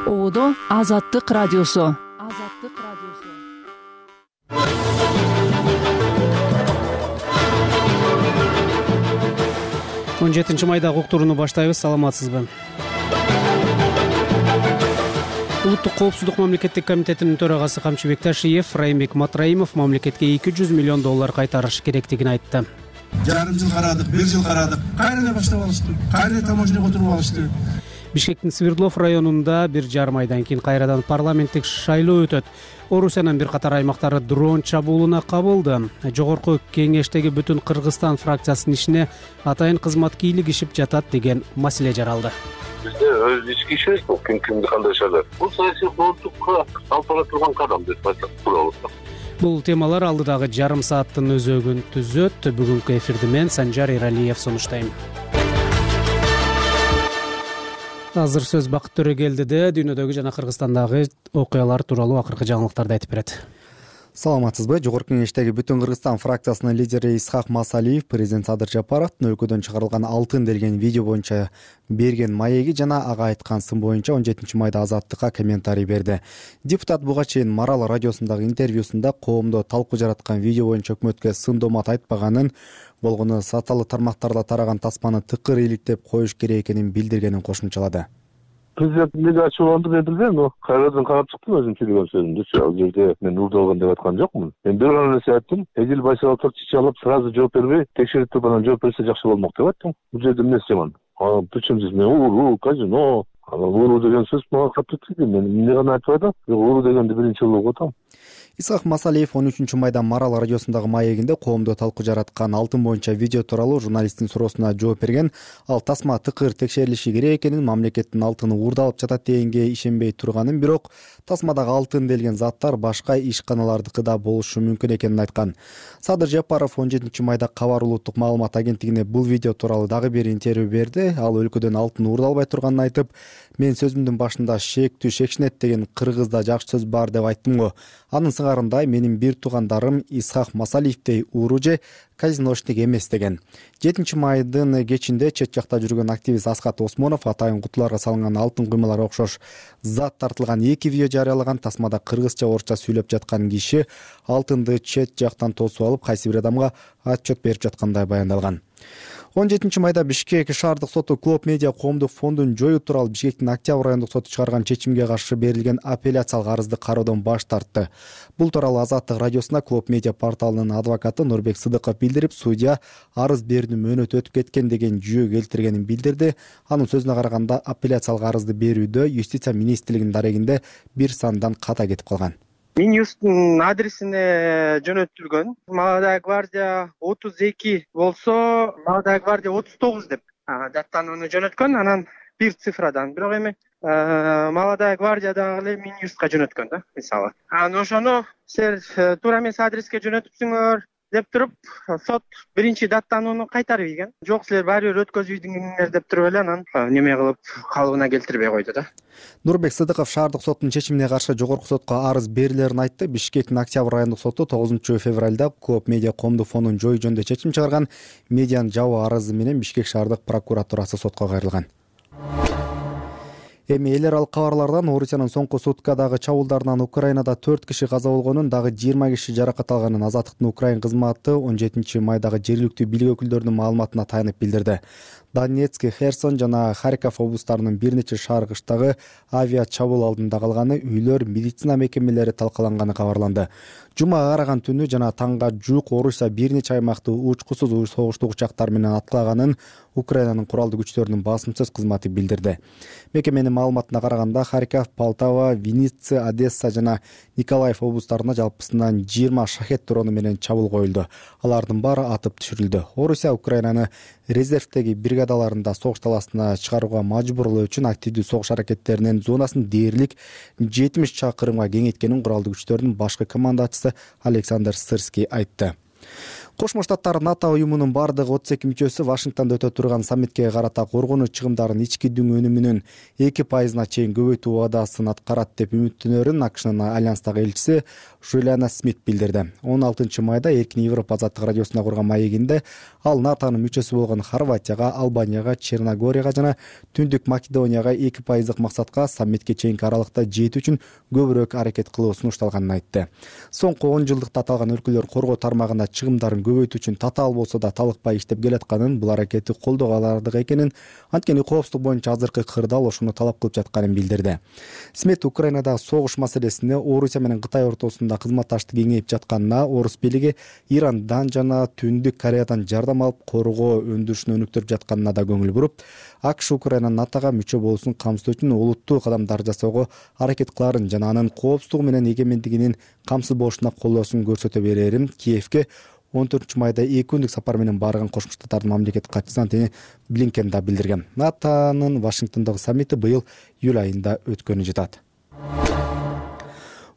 Оодо Азаттык радиосу. 17 майда уктурууну баштайбыз. Саламатсызбы? Улуттук коопсуздук мамлекеттик комитетинин төрагасы Камчыбек Ташиев Райымбек Матраимов мамлекетке $200 миллион кайтарыш керектигин айтты. Жарым жыл карадык, 1 жыл карадык. Кайрадан баштап алышты. Кайрадан таможняга отуруп алышты. Бишкектин Свердлов районунда 1,5 айдан кийин кайрадан парламенттик шайлоо өтөт. Орусиянын бир катар аймактары дрон чабуулуна кабылды. Жогорку кеңештеги бүтүн Кыргызстан фракциясынын ишине атайын кызмат кийлигишип жатат деген маселе жаралды. Бизде өз ички ишибиз бул, кимди кандай шайлар. Бул саясий коомчулукка алып бара турган кадам деп айтсак болот. Бул темалар алдыдагы жарым сааттын өзөгүн түзөт. Бүгүнкү эфирди мен Санжар Эралиев сунуштайм. Азыр сөз Бакыт Төрөгелдиде дүйнөдөгү жана Кыргызстандагы окуялар тууралуу акыркы жаңылыктарды айтып берет. Саламатсызбы? Жогорку кеңештеги бүтүн Кыргызстан фракциясынын лидери Исхак Масалиев президент Садыр Жапаровдун өлкөдөн чыгарылган алтын делген видео боюнча берген маеги жана ага айткан сын боюнча 17 майда Азаттыкка комментарий берди. Депутат буга чейин Марал радиосундагы интервьюсунда коомдо талкуу жараткан видео боюнча өкмөткө сын доомат айтпаганын, болгону социалдык тармактарда тараган тасманы тыкыр иликтеп коюш керек экенин билдиргенин кошумчалады. Президент эмнеге ачууланды мен билбейм, но кайрадан карап чыктым өзүм сүйлөгөн сөзүмдүчү. Ал жерде мен уурдалган деп айткан жокмун. Мен бир гана нерсе айттым. Эдил Байсаловду чече алып, сразу жооп бербей, текшерип туруп анан жооп берсе жакшы болмок деп айттым. Бул жерде эмнеси жаман? Причем здесь ууруу, казино. Ууруу деген сөз мага катты тийди. Мен эмне гана айтып атам? Ууруу дегенди биринчи жолу угуп атам. Исхак Масалиев 13 майда Марал радиосундагы маегинде коомдо талкуу жараткан алтын боюнча видео тууралуу журналисттин суроосуна жооп берген. Ал тасма тыкыр текшерилиши керек экенин, мамлекеттин алтыны уурдалып жатат дегенге ишенбей турганын, бирок тасмадагы алтын делген заттар башка ишканалардыкыда болушу мүмкүн экенин айткан. Садыр Жапаров 17 майда Кабар улуттук маалымат агенттигине бул видео тууралуу дагы бир интервью берди. Ал өлкөдөн алтын уурдалбай турганын айтып, мен сөзүмдүн башында шектүү шекшинет деген кыргызда жакшы сөз бар деп айттым го. Анын сыңарындай менин бир туугандарым Исхак Масалиевдей ууру же казиношник эмес деген. 7 майдын кечинде чет жакта жүргөн активист Аскат Осмонов атайын кутуларга салынган алтын куймаларга окшош зат тартылган 2 видео жарыялаган. Тасмада кыргызча, орусча сүйлөп жаткан киши алтынды чет жактан тосуп алып, кайсы бир адамга отчет берип жаткандай баяндалган. 17 майда Бишкек шаардык соту Клоп Медиа коомдук фондун жоюу тууралуу Бишкектин Октябрь райондук соту чыгарган чечимге каршы берилген апелляциялык арызды кароодон баш тартты. Бул тууралуу Азаттык радиосуна Клоп Медиа порталынын адвокаты Нурбек Сыдыков билдирип, судья арыз берүүнүн мөөнөтү өтүп кеткен деген жүйө келтиргенин билдирди. Анын сөзүнө караганда апелляциялык арызды берүүдө Юстиция министрлигинин дарегинде бир сандан ката кетип калган. Минюсттун адресине жөнөтүлгөн. Молодая гвардия 32 болсо, Молодая гвардия 39 деп даттанууну жөнөткөн, анан бир цифрадан. Бирок эми Молодая гвардия дагы эле Минюстка жөнөткөн да, мисалы. Анан ошону силер туура эмес адреске жөнөтүпсүңөр деп туруп, сот биринчи даттанууну кайтарып ийген. Жок, силер баары бир өткөзбөйдүңөр деп туруп эле анан неме кылып калыбына келтирбей койду да. Нурбек Сыдыков шаардык соттун чечимине каршы жогорку сотко арыз берилерин айтты. Бишкектин Октябрь райондук соту 9 февралда Клоп Медиа коомдук фондун жоюу жөнүндө чечим чыгарган. Медианын жабуу арызы менен Бишкек шаардык прокуратурасы сотко кайрылган. Эми эл аралык кабарлардан Орусиянын соңку суткадагы чабуулдарынан Украинада 4 киши каза болгонун, дагы 20 киши жаракат алганын Азаттыктын Украин кызматы 17 майдагы жергиликтүү бийлик өкүлдөрүнүн маалыматына таянып билдирди. Донецк, Херсон жана Харьков облустарынын бир нече шаар кыштагы авиа чабуул алдында калганы, үйлөр, медицина мекемелери талкаланганы кабарланды. Жумага караган түнү жана таңга жуук Орусия бир нече аймакты учкусуз согуштук учактар менен аткылаганын Украинанын куралдуу күчтөрүнүн басымсыз кызматы билдирди. Мекеменин маалыматына караганда Харьков, Полтава, Винница, Одесса жана Николаев облустарына жалпысынан 20 шахет дрону менен чабуул коюлду. Алардын баары атып түшүрүлдү. Орусия Украинаны резервдеги бригадаларында согуш таласына чыгарууга мажбурлоо үчүн активдүү согуш аракеттеринин зонасын дээрлик 70 чакырымга кеңейткенин куралдуу күчтөрдүн башкы командачысы Александр Сырский айтты. Кошмо Штаттар НАТО уюмунун бардык 32 мүчөсү Вашингтондо өтө турган саммитке карата коргонуу чыгымдарын ички дүң өнүмүнүн 2% чейин көбөйтүү убадасын аткарат деп үмүттөнөрүн АКШнын альянстагы элчиси Жулиана Смит билдирди. 16 майда Эркин Европа азаттык радиосуна курган маегинде ал НАТОнун мүчөсү болгон Хорватияга, Албанияга, Черногорияга жана Түндүк Македонияга 2%дык максатка саммитке чейинки аралыкта жетүү үчүн көбүрөөк аракет кылуу сунушталганын айтты. Соңку 10 жылдыкта аталган өлкөлөр коргоо тармагында чыгымдарын көбөйтүү үчүн татаал болсо да талыкпай иштеп келатканын, бул аракетти колдоого алардык экенин, анткени коопсуздук боюнча азыркы кырдаал ошону талап кылып жатканын билдирди. Смит Украинадагы согуш маселесине Орусия менен Кытай ортосунда кызматташтык кеңейип жатканына, орус бийлиги Ирандан жана Түндүк Кореядан жардам алып коргоо өндүрүшүн өнүктүрүп жатканына да көңүл буруп, АКШ Украина НАТОго мүчө болуусун камсыздоо үчүн олуттуу кадамдар жасоого аракет кыларын жана анын коопсуздугу менен эгемендигинин камсыз болушуна колдоосун көрсөтө берерин Киевке 14 майда 2 күндүк сапар менен барган Кошмо Штаттардын мамлекет катчысы Антони Блинкен да билдирген. НАТОнун Вашингтондогу саммити быйыл июль айында өткөнү жатат.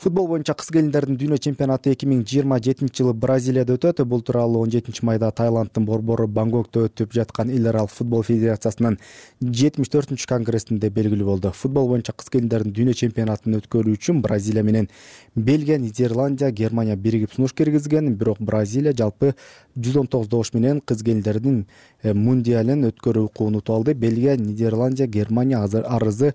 Футбол боюнча кыз келиндердин дүйнө чемпионаты 2027 жылы Бразилияда өтөт. Бул тууралуу 17 майда Таиланддын борбору Бангкокто өтүп жаткан эл аралык футбол федерациясынын 74 конгрессинде белгилүү болду. Футбол боюнча кыз келиндердин дүйнө чемпионатын өткөрүү үчүн Бразилия менен Бельгия, Нидерландия, Германия биригип сунуш киргизген, бирок Бразилия жалпы 119 добуш менен кыз келиндердин мундиалын өткөрүү укугун утуп алды. Бельгия, Нидерландия, Германия арызы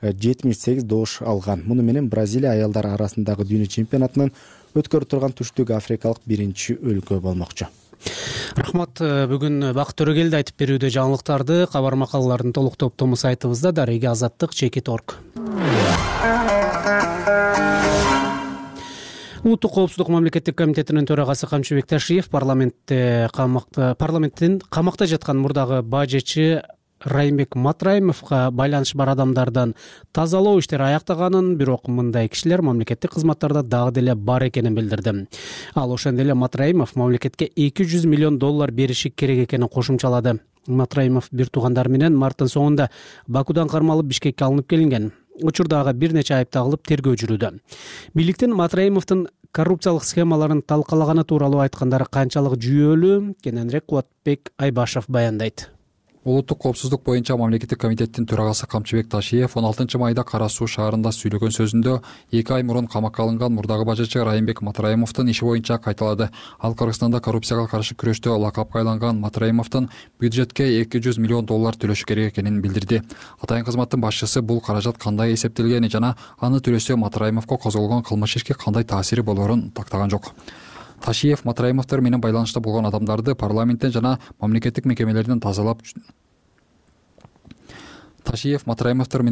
78 добуш алган. Муну менен Бразилия аялдар арасындагы дүйнө чемпионатынын өткөрүп турган түштүк африкалык биринчи өлкө болмокчу. Рахмат. Бүгүн Бакыт Төрөгелди айтып берүүдө жаңылыктарды, кабар макалалардын толук топтому сайтыбызда Дареги Азаттык.org. Улуттук коопсуздук мамлекеттик комитетинин төрагасы Камчыбек Ташиев парламенттин камакта жаткан мурдагы бажечи Райымбек Матраимовго байланышы бар адамдардан тазалоо иштери аяктаганын, бирок мындай кишилер мамлекеттик кызматтарда дагы деле бар экенин билдирди. Ал ошондой эле Матраимов мамлекетке $200 миллион бериши керек экенин кошумчалады. Матраимов бир туугандары менен марттын соңунда Бакудан кармалып Бишкекке алынып келинген. Учурдагы бир нече айып тагылып тергөө жүрүүдө. Бийликтин Матраимовдун коррупциялык схемаларын талкалаганы тууралуу айткандары канчалык жүйөлүү, кененирээк Кубатбек Айбашев баяндайт. Улуттук коопсуздук боюнча мамлекеттик комитеттин төрагасы Камчыбек Ташиев 16 майда Кара Суу шаарында сүйлөгөн сөзүндө 2 ай мурун камакка алынган мурдагы бажачы Райымбек Матраимовдун иши боюнча кайталады. Ал Кыргызстанда коррупцияга каршы күрөштө лакапка айланган Матраимовдун бюджетке $200 миллион төлөшү керек экенин билдирди. Атайын кызматтын башчысы бул каражат кандай эсептелгени жана аны төлөсө Матраимовго козголгон кылмыш ишке кандай таасири болорун тактаган жок. Ташиев Матраимовдор менен байланышта болгон адамдарды парламенттен жана мамлекеттик мекемелерден тазалап Ташиев Матраимовдор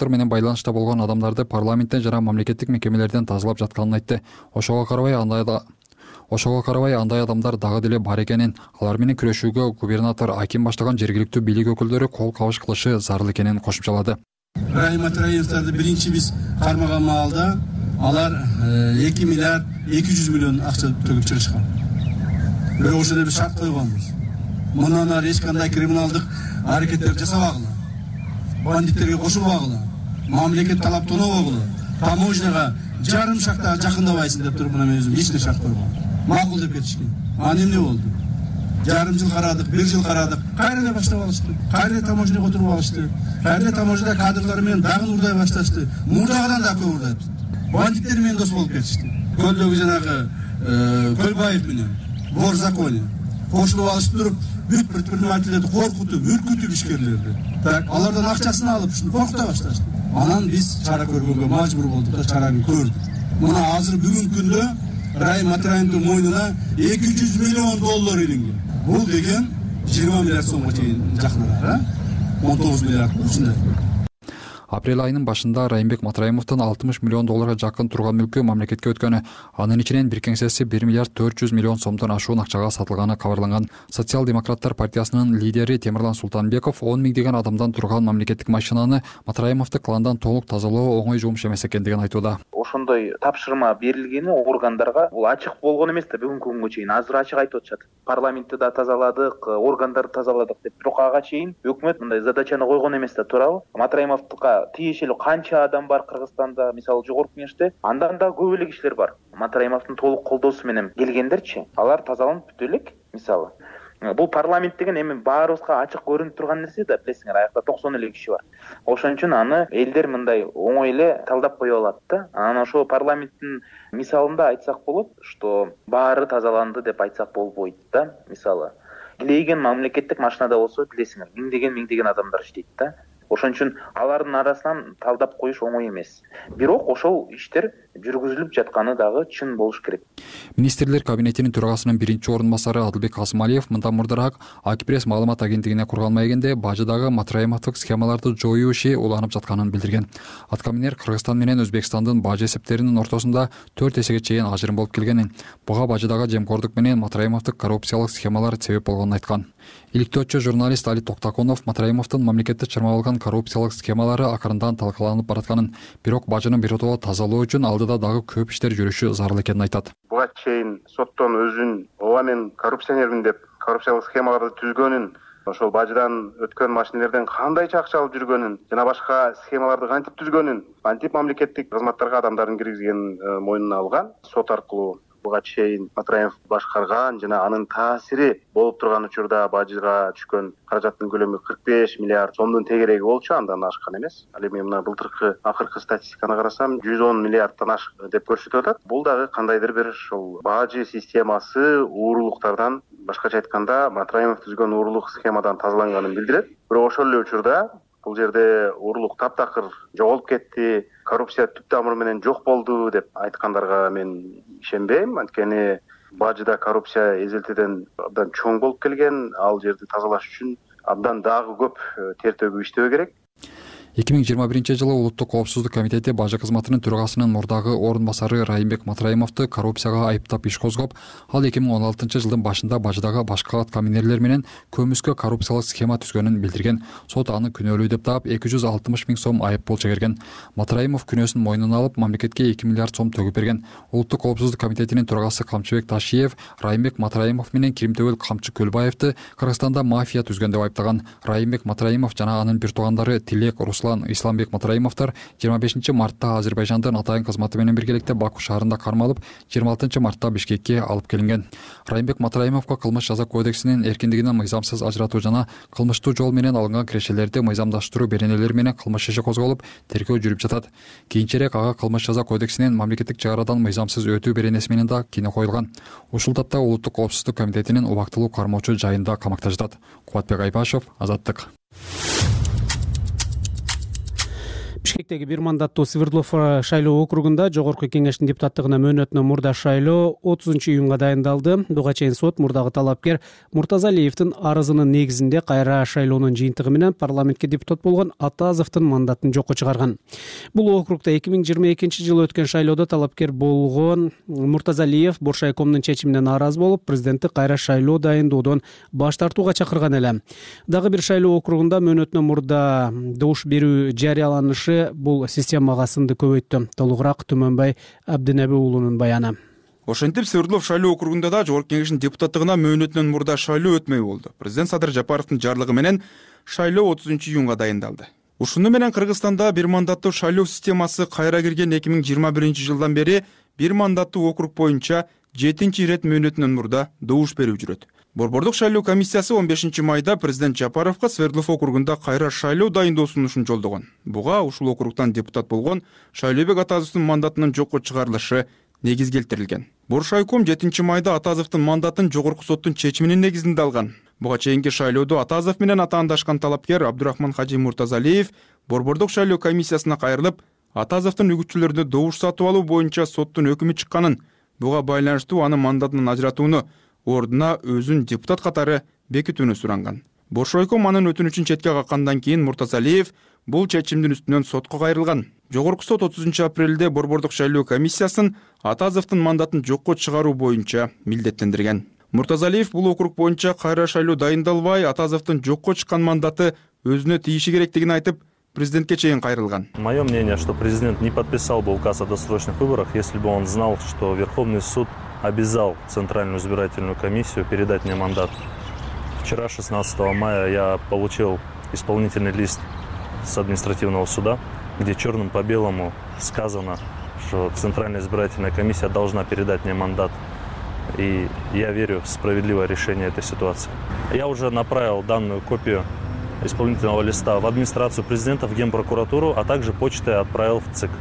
менен байланышта болгон адамдарды парламенттен жана мамлекеттик мекемелерден тазалап жатканын айтты. Ошого карабай андай адамдар дагы деле бар экенин, алар менен күрөшүүгө губернатор, аким баштаган жергиликтүү бийлик өкүлдөрү кол кабыш кылышы зарыл экенин кошумчалады. Райым Матраимовдорду биринчи биз кармаган маалда алар 2 миллиард 200 миллион акча төгүп чыгышкан. Бирок ошондо биз шарт койгонбуз. Мындан ары эч кандай криминалдык аракеттер жасабагыла, бандиттерге кошулбагыла, мамлекет талап тонобогула, таможняга жарым шакта жакындабайсың деп туруп мына мен өзүм лично шарт койгом. Макул деп кетишкен. Анан эмне болду? Жарым жыл карадык, 1 жыл карадык. Кайра баштап алышты. Кайра таможняга отуруп алышты. Кайра таможняда кадрлар менен дагы урдай башташты. Мурдагыдан да көп урдайт. Бандиттер менен дос болуп кетишти. Көлдөгү жанагы Көлбаев менен вор законе кошулуп алышып туруп, бүт предпринимательдерди коркутуп, үркүтүп ишкерлерди. Так, алардан акчасын алып, ушуну коркута башташты. Анан биз чара көргөнгө мажбур болдук да чараны көрдүк. Мына азыр бүгүнкү күндө Райым Матраимовдун мойнуна $200 миллион илинген. Бул деген 20 миллиард сомго чейин жакындар, 19 миллиард ушундай. Апрель айынын башында Райымбек Матраимовдун $60 миллион жакын турган мүлкү мамлекетке өткөнү, анын ичинен бир кеңсеси 1 миллиард 400 миллион сомдон ашуун акчага сатылганы кабарланган. Социал-демократтар партиясынын лидери Темирлан Султанбеков 10 миңдеген адамдан турган мамлекеттик машинаны Матраимовду кландан толук тазалоо оңой жумуш эмес экендигин айтууда. Ошондой тапшырма берилгени органдарга бул ачык болгон эмес да бүгүнкү күнгө чейин. Азыр ачык айтып атышат. Парламентти да тазаладык, органдарды тазаладык деп. Бирок ага чейин өкмөт мындай задачаны койгон эмес да туурабы? Матраимовдука тиешелүү канча адам бар Кыргызстанда, мисалы жогорку кеңеште, андан да көп эле кишилер бар. Матраимовдун толук колдоосу менен келгендерчи, алар тазаланып бүтө элек, мисалы. Бул парламент деген эми баарыбызга ачык көрүнүп турган нерсе да, билесиңер, аякта 90 эле киши бар. Ошон үчүн аны элдер мындай оңой эле талдап кое алат да. Анан ошо парламенттин мисалында айтсак болот, что баары тазаланды деп айтсак болбойт да, мисалы. Илейген мамлекеттик машинада болсо, билесиңер, миңдеген адамдар иштейт да. Ошон үчүн алардын арасынан талдап коюш оңой эмес. Бирок ошол иштер жүргүзүлүп жатканы дагы чын болуш керек. Министрлер кабинетинин төрагасынын биринчи орун басары Адылбек Касымалиев мындан мурдараак Акипресс маалымат агенттигине курган маегинде бажыдагы Матраимовдук схемаларды жоюу иши уланып жатканын билдирген. Атка минер Кыргызстан менен Өзбекстандын бажы эсептеринин ортосунда 4 эсеге чейин ажырым болуп келгенин, буга бажыдагы жемкордук менен Матраимовдук коррупциялык схемалар себеп болгонун айткан. Иликтөөчү журналист Али Токтакунов Матраимовдун мамлекетти чырмап алган коррупциялык схемалары акырындан талкаланып баратканын, бирок бажынын биротоло тазалоо үчүн алдыда дагы көп иштер жүрүшү зарыл экенин айтат. Буга чейин соттон өзүн ооба мен коррупционермин деп коррупциялык схемаларды түзгөнүн, ошол бажыдан өткөн машинелерден кандайча акча алып жүргөнүн жана башка схемаларды кантип түзгөнүн, кантип мамлекеттик кызматтарга адамдарын киргизгенин мойнуна алган. Сот аркылуу буга чейин Матраимов башкарган жана анын таасири болуп турган учурда бажыга түшкөн каражаттын көлөмү 45 миллиард сомдун тегереги болчу, андан ашкан эмес. Ал эми мына былтыркы акыркы статистиканы карасам 110 миллиардтан ашык деп көрсөтүп атат. Бул дагы кандайдыр бир ошол бажы системасы уурулуктардан, башкача айтканда Матраимов түзгөн уурулук схемадан тазаланганын билдирет. Бирок ошол эле учурда бул жерде уурулук таптакыр жоголуп кетти, коррупция түп тамыры менен жок болду деп айткандарга мен ишенбейм. Анткени бажыда коррупция эзелтеден абдан чоң болуп келген, ал жерди тазалаш үчүн абдан дагы көп тер төгүп иштөө керек. 2021-жылы Улуттук коопсуздук комитети бажы кызматынын төрагасынын мурдагы орун басары Райымбек Матраимовду коррупцияга айыптап иш козгоп, ал 2016-жылдын башында бажыдагы башка аткаминерлер менен көмүскө коррупциялык схема түзгөнүн билдирген. Сот аны күнөөлүү деп таап 260 миң сом айып пул чегерген. Матраимов күнөөсүн мойнуна алып, мамлекетке 2 миллиард сом төгүп берген. Улуттук коопсуздук комитетинин төрагасы Камчыбек Ташиев Райымбек Матраимов менен Киримтөбөл Камчы Көлбаевди Кыргызстанда мафия түзгөн деп айыптаган. Райымбек Матраимов жана анын бир туугандары Тилек Исламбек Матраимовдор 25 мартта Азербайжандын атайын кызматы менен биргеликте Баку шаарында кармалып, 26 мартта Бишкекке алып келинген. Райымбек Матраимовго кылмыш жаза кодексинин эркиндигинен мыйзамсыз ажыратуу жана кылмыштуу жол менен алынган кирешелерди мыйзамдаштыруу беренелери менен кылмыш иши козголуп, тергөө жүрүп жатат. Кийинчерээк ага кылмыш жаза кодексинин мамлекеттик чек арадан мыйзамсыз өтүү беренеси менен да кине коюлган. Ушул тапта Улуттук коопсуздук комитетинин убактылуу кармоочу жайында камакта жатат. Кубатбек Айбашев, Азаттык. Бишкектеги бир мандаттуу Свердлов шайлоо округунда жогорку кеңештин депутаттыгына мөөнөтүнөн мурда шайлоо 30-июнга дайындалды. Буга чейин сот мурдагы талапкер Муртазалиевдин арызынын негизинде кайра шайлоонун жыйынтыгы менен парламентке депутат болгон Атазовдун мандатын жокко чыгарган. Бул округда 2022-жылы өткөн шайлоодо талапкер болгон Муртазалиев Боршайкомдун чечимине нааразы болуп, президентти кайра шайлоо дайындоодон баш тартууга чакырган эле. Дагы бир шайлоо округунда мөөнөтүнөн мурда добуш берүү жарыяланышы бул системага сынды көбөйттү. Толугураак Түмөнбай Абдинеби уулунун баяны. Ошентип Свердлов шайлоо округунда да жогорку кеңештин депутаттыгына мөөнөтүнөн мурда шайлоо өтмөй болду. Президент Садыр Жапаровдун жарлыгы менен шайлоо 30-июнга дайындалды. Ушуну менен Кыргызстанда бир мандаттуу шайлоо системасы кайра кирген 2021-жылдан бери бир мандаттуу округ боюнча 7-ирет мөөнөтүнөн мурда добуш берүү жүрөт. Борбордук шайлоо комиссиясы 15 майда президент Жапаровго Свердлов округунда кайра шайлоо дайындоо сунушун жолдогон. Буга ушул округтан депутат болгон Шайлообек Атазовдун мандатынын жокко чыгарылышы негиз келтирилген. Боршайком 7 майда Атазовдун мандатын жогорку соттун чечиминин негизинде алган. Буга чейинки шайлоодо Атазов менен атаандашкан талапкер Абдурахман Хажи Муртазалиев борбордук шайлоо комиссиясына кайрылып, Атазовдун үгүтчүлөрүнө добуш сатып алуу боюнча соттун өкүмү чыкканын, буга байланыштуу анын мандатынан ажыратууну, ордуна өзүн депутат катары бекитүүнү суранган. Боршайком анын өтүнүчүн четке каккандан кийин Муртазалиев бул чечимдин үстүнөн сотко кайрылган. Жогорку сот 30 апрелде борбордук шайлоо комиссиясын Атазовдун мандатын жокко чыгаруу боюнча милдеттендирген. Муртазалиев бул округ боюнча кайра шайлоо дайындалбай, Атазовдун жокко чыккан мандаты өзүнө тийиши керектигин айтып, президентке чейин кайрылган. Мое мнение, что президент не подписал бы указ о досрочных выборах, если бы он знал, что Верховный суд обязал Центральную избирательную комиссию передать мне мандат. Вчера, 16 мая, я получил исполнительный лист с административного суда, где черным по белому сказано, что Центральная избирательная комиссия должна передать мне мандат. И я верю в справедливое решение этой ситуации. Я уже направил данную копию исполнительного листа в администрацию президента, в Генпрокуратуру, а также почтой отправил в ЦИК.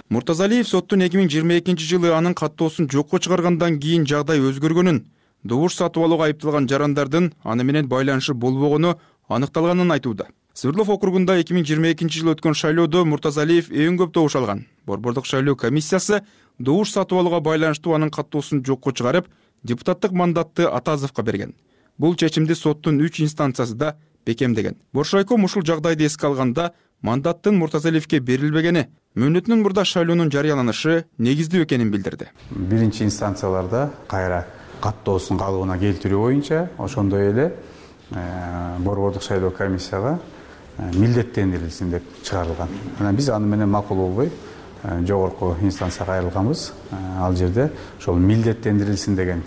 Муртазалиев соттун 2022 жылы анын каттоосун жокко чыгаргандан кийин жагдай өзгөргөнүн, добуш сатып алууга айыпталган жарандардын аны менен байланышы болбогону аныкталганын айтууда. Свердлов округунда 2022 жылы өткөн шайлоодо Муртазалиев эң көп добуш алган. Борбордук шайлоо комиссиясы добуш сатып алууга байланыштуу анын каттоосун жокко чыгарып, депутаттык мандатты Атазовго берген. Бул чечимди соттун 3 инстанциясы да бекемдеген. Боршайком ушул жагдайды эске алганда мандаттын Муртазалиевге берилбегени, мөөнөтүнүн мурда шайлоонун жарыяланышы негиздүү экенин билдирди. Биринчи инстанцияларда кайра каттоосун калыбына келтирүү боюнча ошондой эле борбордук шайлоо комиссияга милдеттендирилсин деп чыгарылган. Анан биз аны менен макул болбой жогорку инстанцияга кайрылганбыз. Ал жерде ошол милдеттендирилсин деген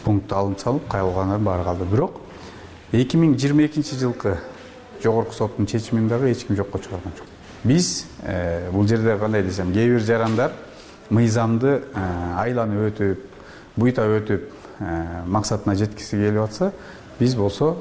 пункт алынып салып кайрылгандар баары калды. Бирок 2022 жылкы жогорку соттун чечимин дагы эч ким жокко чыгарган жок. Биз бул жерде кандай десем, кээ бир жарандар мыйзамды айланып өтүп, буйта өтүп максатына жеткиси келип атса, биз болсо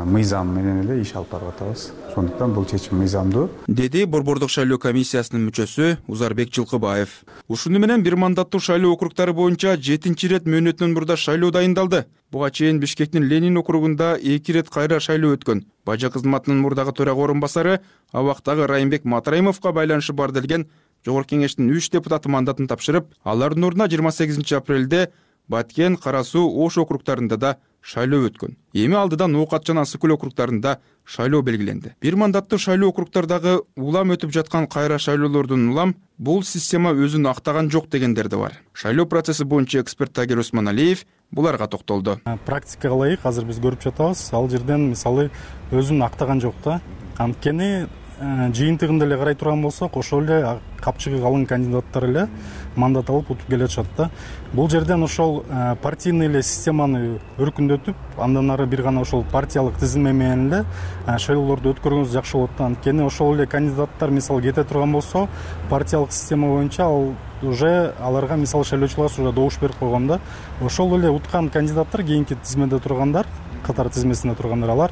мыйзам менен эле иш алып барып атабыз. Сондуктан бул чечим мыйзамдуу, деди борбордук шайлоо комиссиясынын мүчөсү Узарбек Жылкыбаев. Ушуну менен бир мандаттуу шайлоо округдары боюнча 7-чи ирет мөөнөтүнөн мурда шайлоо дайындалды. Буга чейин Бишкектин Ленин округунда 2 ирет кайра шайлоо өткөн. Бажа кызматынын мурдагы төрага орун басары абактагы Райымбек Матраимовго байланышы бар делген Жогорку кеңештин 3 депутаты мандатын тапшырып, алардын ордуна 28 апрелде Баткен, Кара Суу, Ош округдарында да шайлоо өткөн. Эми алдыдан Оокат жана Ысыккөл округдарында шайлоо белгиленди. Бир мандаттуу шайлоо округдардагы улам өтүп жаткан кайра шайлоолордун улам бул система өзүн актаган жок дегендер да бар. Шайлоо процесси боюнча эксперт Тагир Усманалиев буларга токтолду. Практикага ылайык азыр биз көрүп жатабыз. Ал жерден мисалы өзүн актаган жок да. Анткени жыйынтыгында эле карай турган болсок, ошол эле капчыгы калың кандидаттар эле мандат алып утуп келатышат да. Бул жерден ошол партийный эле системаны өркүндөтүп, андан ары бир гана ошол партиялык тизилме менен эле шайлоолорду өткөргөнүз жакшы болот да. Анткени ошол эле кандидаттар мисалы кете турган болсо, партиялык система боюнча ал уже аларга мисалы шайлоочулар уже добуш берип койгон да. Ошол эле уткан кандидаттар кийинки тизмеде тургандар, катар тизмесинде тургандар, алар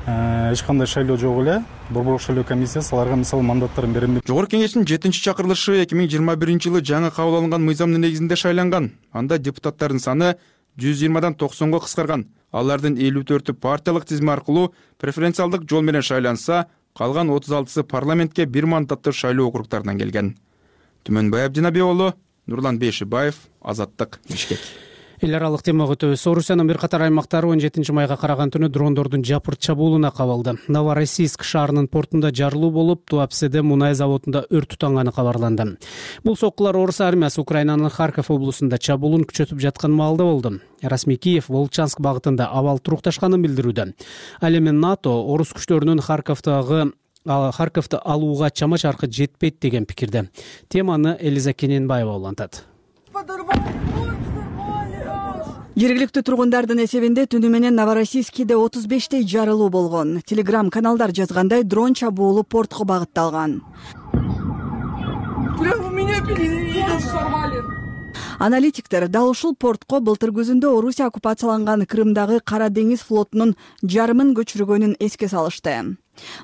эч кандай шайлоо жок эле борбордук шайлоо комиссиясы аларга мисалы мандаттарын берем. Жогорку кеңештин 7-чи чакырылышы 2021 жылы жаңы кабыл алынган мыйзамдын негизинде шайланган. Анда депутаттардын саны 120дан 90го кыскарган. Алардын 54-ü партиялык тизме аркылуу преференциалдык жол менен шайланса, калган 36-сы парламентке бир мандаттуу шайлоо округдарынан келген. Түмөнбай Абдинабек уулу, Нурлан Бейшибаев, Азаттык, Бишкек. Эл аралык темага өтөбүз. Орусиянын бир катар аймактары 17-майга караган түнү дрондордун жапырт чабуулуна кабылды. Новороссийск шаарынын портунда жарылуу болуп, Туапседе мунай заводунда өрт тутанганы кабарланды. Бул соккулар Орус армиясы Украинанын Харьков облусунда чабуулун күчөтүп жаткан маалда болду. Расмий Киев Волчанск багытында абал турукташканын билдирүүдө. Ал эми НАТО орус күчтөрүнүн Харьковду алууга чама чаркы жетпейт деген пикирде. Теманы Элиза Кененбаева улантат. Жергиликтүү тургундардын эсебинде түнү менен Новороссийскиде 35 жарылуу болгон. Телеграм каналдар жазгандай, дрон чабуулу портко багытталган. Аналитиктер дал ушул портко былтыр күзүндө Орусия оккупацияланган Крымдагы Кара деңиз флотунун жарымын көчүргөнүн эске салышты.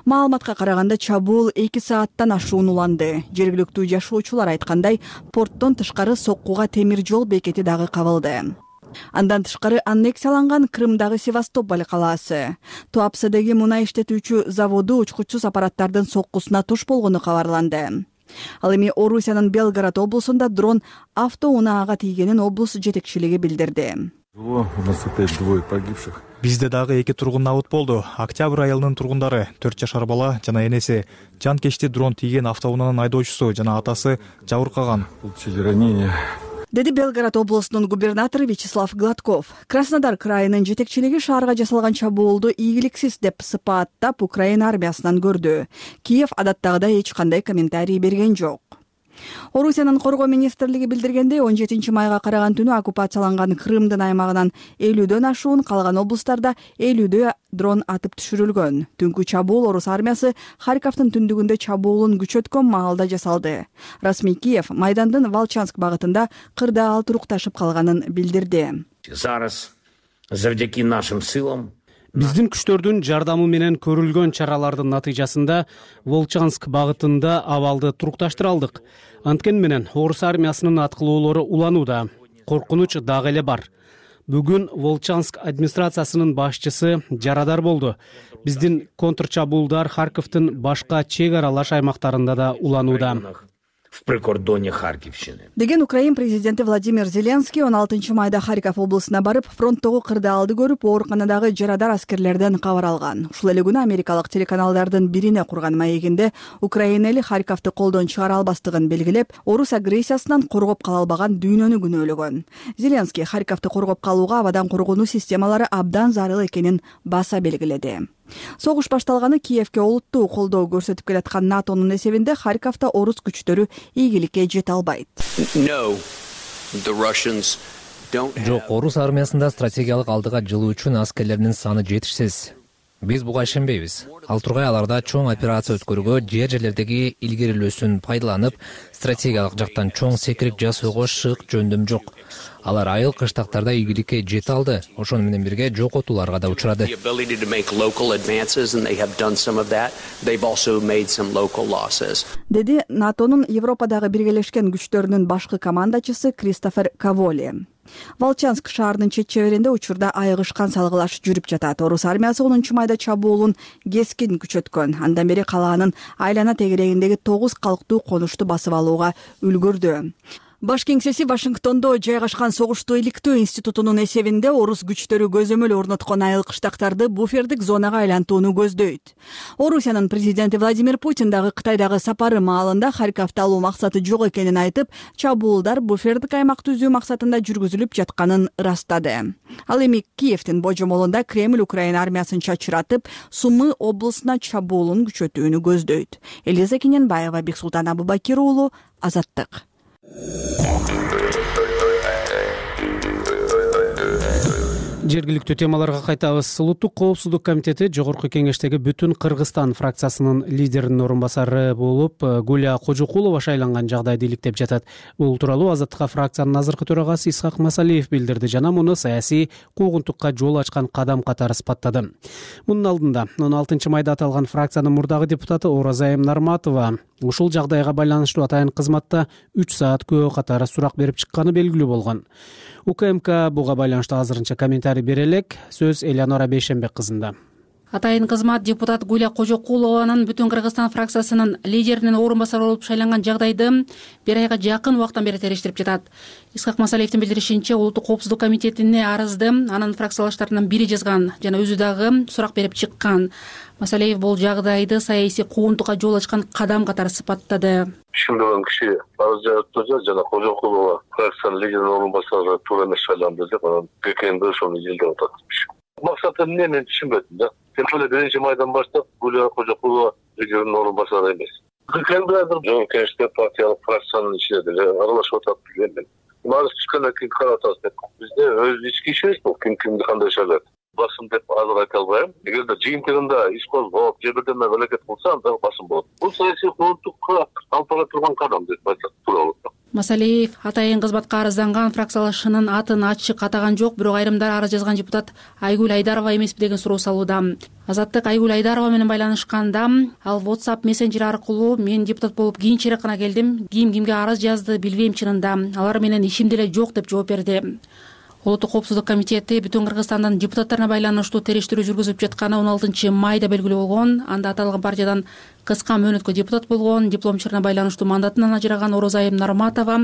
Маалыматка караганда чабуул 2 сааттан ашуун уланды. Жергиликтүү жашоочулар айткандай, порттон тышкары соккуга темир жол бекети дагы кабылды. Андан тышкары аннексияланган Крымдагы Севастополь калаасы, Туапседеги мунай иштетүүчү заводу учкучсуз аппараттардын соккусуна туш болгону кабарланды. Ал эми Орусиянын Белгород облусунда дрон автоунаага тийгенин облус жетекчилиги билдирди. Бизде дагы 2 тургун абыт болду. Октябрь айылынын тургундары 4 жашар бала жана энеси жанкечти дрон тийген автоунаанын айдоочусу жана атасы жабыркаган, деди Белгород облусунун губернатору Вячеслав Гладков. Краснодар крайынын жетекчилиги шаарга жасалган чабуулду ийгиликсиз деп сыпаттап Украина армиясынан көрдү. Киев адаттагыдай эч кандай комментарий берген жок. Орусиянын коргоо министрлиги билдиргендей 17 майга караган түнү оккупацияланган Крымдын аймагынан 50дөн ашуун, калган облустарда 50дөө дрон атып түшүрүлгөн. Түнкү чабуул орус армиясы Харьковдун түндүгүндө чабуулун күчөткөн маалда жасалды. Расмий Киев Майдандын Волчанск багытында кырдаал турукташып калганын билдирди. Завдяки нашим силам Биздин күчтөрдүн жардамы менен көрүлгөн чаралардын натыйжасында Волчанск багытында абалды турукташтыра алдык. Анткени менен орус армиясынын аткылоолору уланууда. Коркунуч дагы эле бар. Бүгүн Волчанск администрациясынын башчысы жарадар болду. Биздин контрчабуулдар Харьковдун башка чек аралаш аймактарында да уланууда. в прикордоне Харьковщины. Деген Украин президенти Владимир Зеленский 16 майда Харьков облусуна барып, фронттогу кырдаалды көрүп, ооруканадагы жарадар аскерлерден кабар алган. Ушул эле күнү америкалык телеканалдардын бирине курган маегинде Украина эли Харьковду колдон чыгара албастыгын белгилеп, орус агрессиясынан коргоп кала албаган дүйнөнү күнөөлөгөн. Зеленский Харьковду коргоп калууга абадан коргонуу системалары абдан зарыл экенин баса белгиледи. Согуш башталганы Киевке олуттуу колдоо көрсөтүп келаткан НАТОнун эсебинде Харьковдо орус күчтөрү ийгиликке жете албайт. Жок, орус армиясында стратегиялык алдыга жылуучу аскерлердин саны жетишсиз. Биз буга ишенбейбиз. Ал тургай аларда чоң операция өткөрүүгө, жерлердеги илгерилөөсүн пайдаланып, стратегиялык жактан чоң секирип жасоого шык жөндөм жок. Алар айыл кыштактарда ийгиликке жете алды, ошону менен бирге жокотууларга да учурады. Деди НАТОнун Европадагы биргелешкен күчтөрүнүн башкы командачысы Кристофер Каволи. Волчанск шаарынын чет чеберинде учурда айыгышкан салгылаш жүрүп жатат. Орус армиясы 10 майда чабуулун кескин күчөткөн. Андан бери калаанын айлана тегерегиндеги 9 калктуу конушту басып алууга үлгүрдү. Баш кеңсеси Вашингтондо жайгашкан согуштуу иликтөө институтунун эсебинде орус күчтөрү көзөмөл орноткон айыл кыштактарды буфердик зонага айлантууну көздөйт. Орусиянын президенти Владимир Путин дагы Кытайдагы сапары маалында Харьковду алуу максаты жок экенин айтып, чабуулдар буфердик аймак түзүү максатында жүргүзүлүп жатканын ырастады. Ал эми Киевдин божомолунда Кремль Украина армиясын чачыратып, Сумы облусуна чабуулун күчөтүүнү көздөйт. Элиза Кененбаева, Бексултан Абубакир уулу, Азаттык. Жергиликтүү темаларга кайтабыз. Улуттук коопсуздук комитети Жогорку кеңештеги Бүтүн Кыргызстан фракциясынын лидеринин орун басары болуп Гуля Кожокулова шайланган жагдайды иликтеп жатат. Бул тууралуу Азаттыкка фракциянын азыркы төрагасы Исхак Масалиев билдирди жана муну саясий куугунтукка жол ачкан кадам катары сыпаттады. Мунун алдында 16 майда аталган фракциянын мурдагы депутаты Оразайым Нарматова ушул жагдайга байланыштуу атайын кызматта 3 саат күбө катары сурак берип чыкканы белгилүү болгон. УКМК буга байланыштуу азырынча комментарий бере элек. Сөз Элеонора Бейшенбек кызында. Атайын кызмат депутат Гуля Кожокулованын Бүтүн Кыргызстан фракциясынын лидеринин орун басары болуп шайланган жагдайды бир айга жакын убакыттан бери териштирип жатат. Исхак Масалиевдин билдиришинче, Улуттук коопсуздук комитетине арызды анын фракциялаштарынын бири жазган жана өзү дагы сурак берип чыккан. Масалиев бул жагдайды саясий куугунтукка жол ачкан кадам катары сыпаттады. Ишендеген киши арыз жазып жана Кожокулова фракциянын лидеринин орун басары туура эмес шайланды деп анан ККНБ ошону жылдап атат. Максаты эмне мен түшүнбөдүм да. Тем более 1 майдан баштап Гуля Кожокулова лидеринин орун басары эмес. ККНБ Жогорку кеңеште партиялык фракциянын ичинде деле аралашып атат билген. Арыз түшкөндөн кийин карап атабыз деп. Бизде өз ички ишибиз бул, кимди кандай шайлайт. Басым деп азыр айта албайм. Эгерде жыйынтыгында иш козгоп, же бирдеме аракет кылса, анда басым болот. Бул саясий куугунтукка алып бара турган кадам деп айтсак туура болот. Масалиев атайын кызматка арызданган фракциялашынын атын ачык атаган жок, бирок айрымдар арыз жазган депутат Айгүл Айдарова эмеспи деген суроо салууда. Азаттык Айгүл Айдарова менен байланышканда, ал WhatsApp мессенджери аркылуу мен депутат болуп кийинчерээк гана келдим, кимге арыз жазды билбейм чынында, алар менен ишим деле жок деп жооп берди. Улуттук коопсуздук комитети Бүтүн Кыргызстандын депутаттарына байланыштуу териштирүү жүргүзүп жатканы 16 майда белгилүү болгон. Анда аталган партиядан кыска мөөнөткө депутат болгон, дипломчуна байланыштуу мандатынан ажыраган Оразайым Нарматова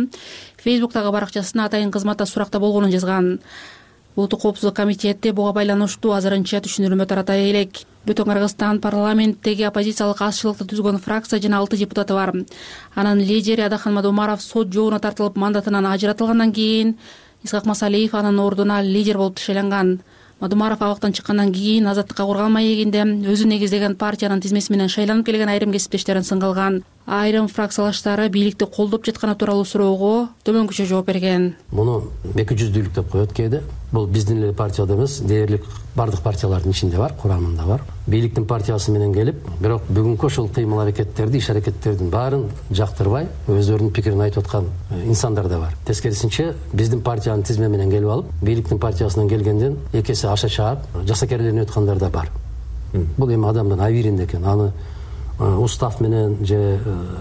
Фейсбуктагы баракчасына атайын кызматта суракта болгонун жазган. Улуттук коопсуздук комитети буга байланыштуу азырынча түшүндүрмө таратай элек. Бүтүн Кыргызстан парламенттеги оппозициялык азчылыкты түзгөн фракция жана 6 депутаты бар. Анын лидери Адахан Мадумаров сот жообуна тартылып мандатынан ажыратылгандан кийин Исхак Масалиев анын ордуна лидер болуп шайланган. Мадумаров абактан чыккандан кийин Азаттыкка курган маегинде өзү негиздеген партиянын тизмеси менен шайланып келген айрым кесиптештерин сынга алган. айрым фракциялаштары бийликти колдоп жатканы тууралуу суроого төмөнкүчө жооп берген. Муну эки жүздүүлүк деп коет кээде. Бул биздин эле партияда эмес, дээрлик бардык партиялардын ичинде бар, курамында бар. Бийликтин партиясы менен келип, бирок бүгүнкү ошол кыймыл аракеттерди, иш аракеттердин баарын жактырбай, өздөрүнүн пикирин айтып аткан инсандар да бар. Тескерисинче, биздин партиянын тизме менен келип алып, бийликтин партиясынан келгенден эки эсе аша чаап, жасакерленип аткандар да бар. Бул эми адамдын абийиринде экен. Аны устав менен же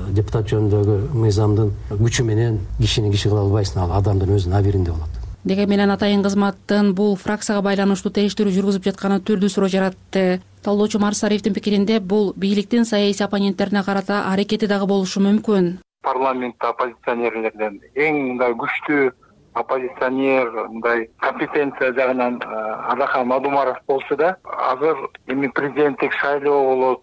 депутат жөнүндөгү мыйзамдын күчү менен кишини киши кыла албайсың, ал адамдын өзүнүн абийиринде болот. Дегенменен атайын кызматтын бул фракцияга байланыштуу териштирүү жүргүзүп жатканы түрдүү суроо жаратты. Талдоочу Марс Сариевдин пикиринде бул бийликтин саясий оппоненттерине карата аракети дагы болушу мүмкүн. Парламентте оппозиционерлерден эң мындай күчтүү оппозиционер, мындай компетенция жагынан Адахан Мадумаров болсо да, азыр эми президенттик шайлоо болот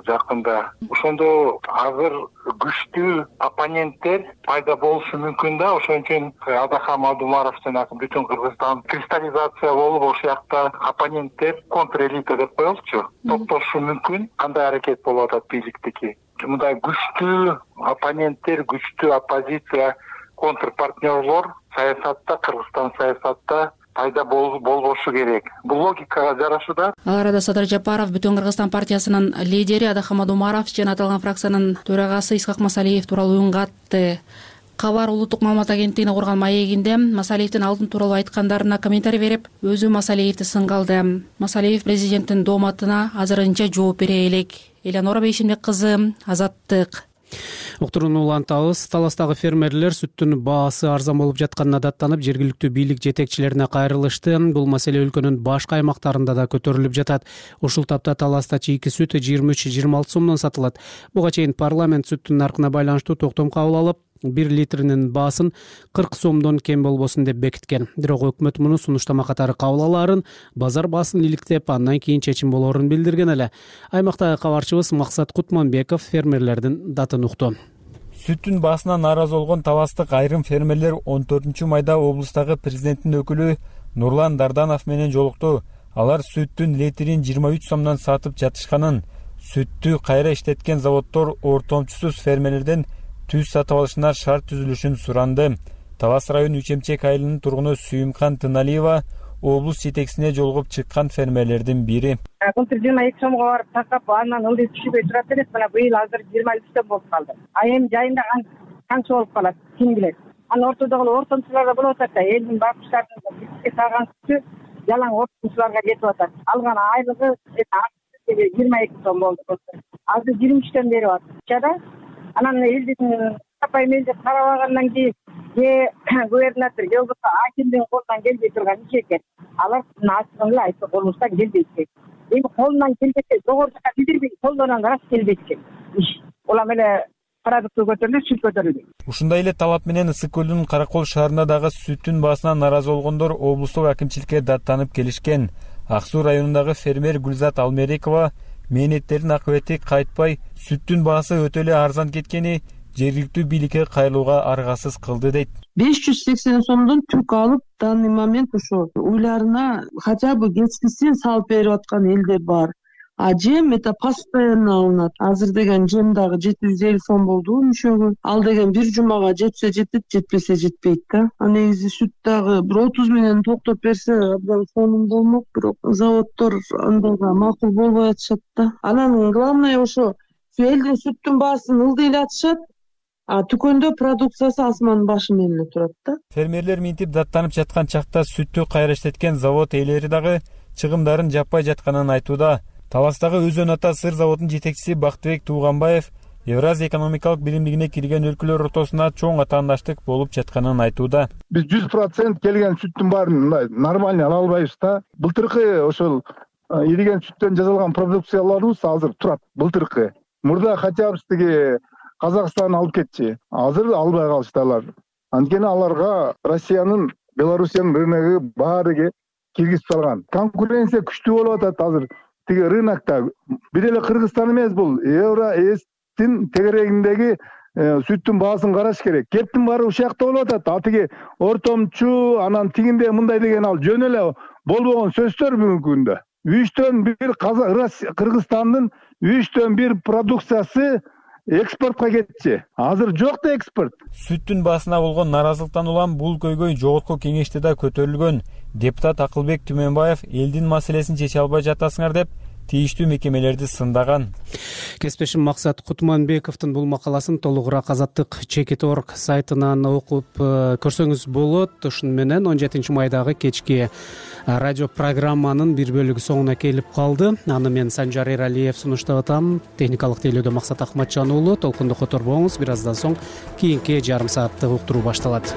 жакында. Ошондо азыр күчтүү оппоненттер пайда болушу мүмкүн да. Ошон үчүн Адахан Мадумаров жанагы бүтүн Кыргызстан кристаллизация болуп, ошол жакта оппоненттер контрэлита деп коелучу, топтошу мүмкүн. Кандай аракет болуп атат бийликтики? Мындай күчтүү оппоненттер, күчтүү оппозиция, контрпартнерлор саясатта, Кыргызстан саясатта пайда болбошу керек. Бул логикага жарашу да. Ал арада Садыр Жапаров Бүтүн Кыргызстан партиясынын лидери Адахан Мадумаров жана аталган фракциянын төрагасы Исхак Масалиев тууралуу үн катты. Кабар улуттук маалымат агенттигине курган маегинде Масалиевдин алдын тууралуу айткандарына комментарий берип, өзү Масалиевди сынгалды. Масалиев президенттин дооматына азырынча жооп бере элек. Элеонора Бейшенбек кызы, Азаттык. Уктурууну улантабыз. Таластагы фермерлер сүттүн баасы арзан болуп жатканына даттанып, жергиликтүү бийлик жетекчилерине кайрылышты. Бул маселе өлкөнүн башка аймактарында да көтөрүлүп жатат. Ушул тапта таласта чийки сүт 23-26 сомдон сатылат. Буга чейин парламент сүттүн наркына байланыштуу токтом кабыл алып, 1 литринин баасын 40 сомдон кем болбосун деп бекиткен. Бирок өкмөт муну сунуштама катары кабыл алаарын, базар баасын иликтеп, андан кийин чечим болоорун билдирген эле. Аймактагы кабарчыбыз Максат Кутманбеков фермерлердин датын укту. Сүттүн баасына нааразы болгон таластык айрым фермерлер 14-майда облустагы президенттин өкүлү Нурлан Дарданов менен жолукту. Алар сүттүн литрин 23 сомдон сатып жатышканын, сүттү кайра иштеткен заводдор ортомчусуз фермерлерден түз сатып алышына шарт түзүлүшүн суранды. Талас район Үчемчек айылынын тургуну Сүйүмкан Тыналиева облус жетекчисине жолугуп чыккан фермерлердин бири. Былтыр 22 сомго барып такап, анан ылдый түшүбөй турат элек, мына быйыл азыр 23 болуп калды. Эми жайында канча болуп калат, ким билет. Анан ортодогу ортомчуларда болуп атат да, элдин бакчыларынын бизге саган сүтү жалаң ортомчуларга кетип атат. Алган айлыгы 22 сом болду. Азыр 23тен берип атат. Анан элдин сапай мелдеп карабагандан кийин губернатор же болбосо акимдин колунан келбей турган иш экен. Алар ачыгын эле айтты, колубуздан келбейт экен. Эми колунан келбесе, жогору жака билдирбей, колдон рас келбейт экен иш. Улам эле продукты көтөрүлүп, сүт көтөрүлдү. Ушундай эле талап менен Ысык көлдүн Каракол шаарында дагы сүттүн баасына нааразы болгондор облустук акимчиликке даттанып келишкен. Ак Суу районундагы фермер Гүлзат Алмерекова мээнеттердин акыбети кайтпай, сүттүн баасы өтө эле арзан кеткени жергиликтүү бийликке кайрылууга аргасыз кылды дейт. 580 сомдон түк алып, данный момент ошо уйларына хотя бы кечкисин салып берип аткан элдер бар. А жем это постоянно алынат. Азыр деген жем дагы 750 сом болду мüşөгү. Ал деген бир жумага жетсе жетет, жетпесе жетпейт да. А негизи сүт дагы 30 менен токтоп берсе абдан сонун болмок, бирок заводдор андайга макул болбой атышат да. Анан главное ошо элдин сүттүн баасын ылдыйлатышат. А дүкөндө продукциясы асмандын башы менен турат да. Фермерлер минтип даттанып жаткан чакта сүттү кайра иштеткен завод ээлери дагы чыгымдарын жаппай жатканын айтууда. Таластагы Өзөн ата сыр заводунун жетекчиси Бактыбек Тууганбаев Евразия экономикалык биримдигине кирген өлкөлөр ортосуна чоң атаандаштык болуп жатканын айтууда. Биз 100% келген сүттүн баарын нормально ала албайбыз да. Былтыркы ошол ириген сүттөн жасалган продукцияларыбыз азыр турат. Былтыркы мурда хотя бы тиги Казакстан алып кетчи. Азыр албай калышты алар. Анткени аларга Россиянын, Белоруссиянын рыногу баары киргизип салган. Конкуренция күчтүү болуп атат азыр. Тиги рынокто бир эле Кыргызстан эмес, бул Евроэстин тегерегиндеги сүттүн баасын караш керек. Кептин баары ушул жакта болуп атат. А тиги ортомчу, анан тигинде мындай деген ал жөн эле болбогон сөздөр бүгүнкү күндө. 3төн 1 Кыргызстандын 3төн 1 продукциясы экспортко кетчү. Азыр жок да экспорт. Сүттүн баасына болгон нааразылыктан улам бул көйгөй жогорку кеңеште да көтөрүлгөн. Депутат Акылбек Түмөнбаев элдин маселесин чече албай жатасыңар деп тийиштүү мекемелерди сындаган. Кесиптешим Максат Кутманбековдун бул макаласын толугураак Азаттык.org сайтынан окуп көрсөңүз болот. Ушуну менен 17 майдагы кечки радио программанын бир бөлүгү соңуна келип калды. Аны мен Санжар Эралиев сунуштап атам. Техникалык тейлөөдө Максат Акматжан уулу. Толкунду которбоңуз. Бир аздан соң кийинки жарым сааттык уктуруу башталат.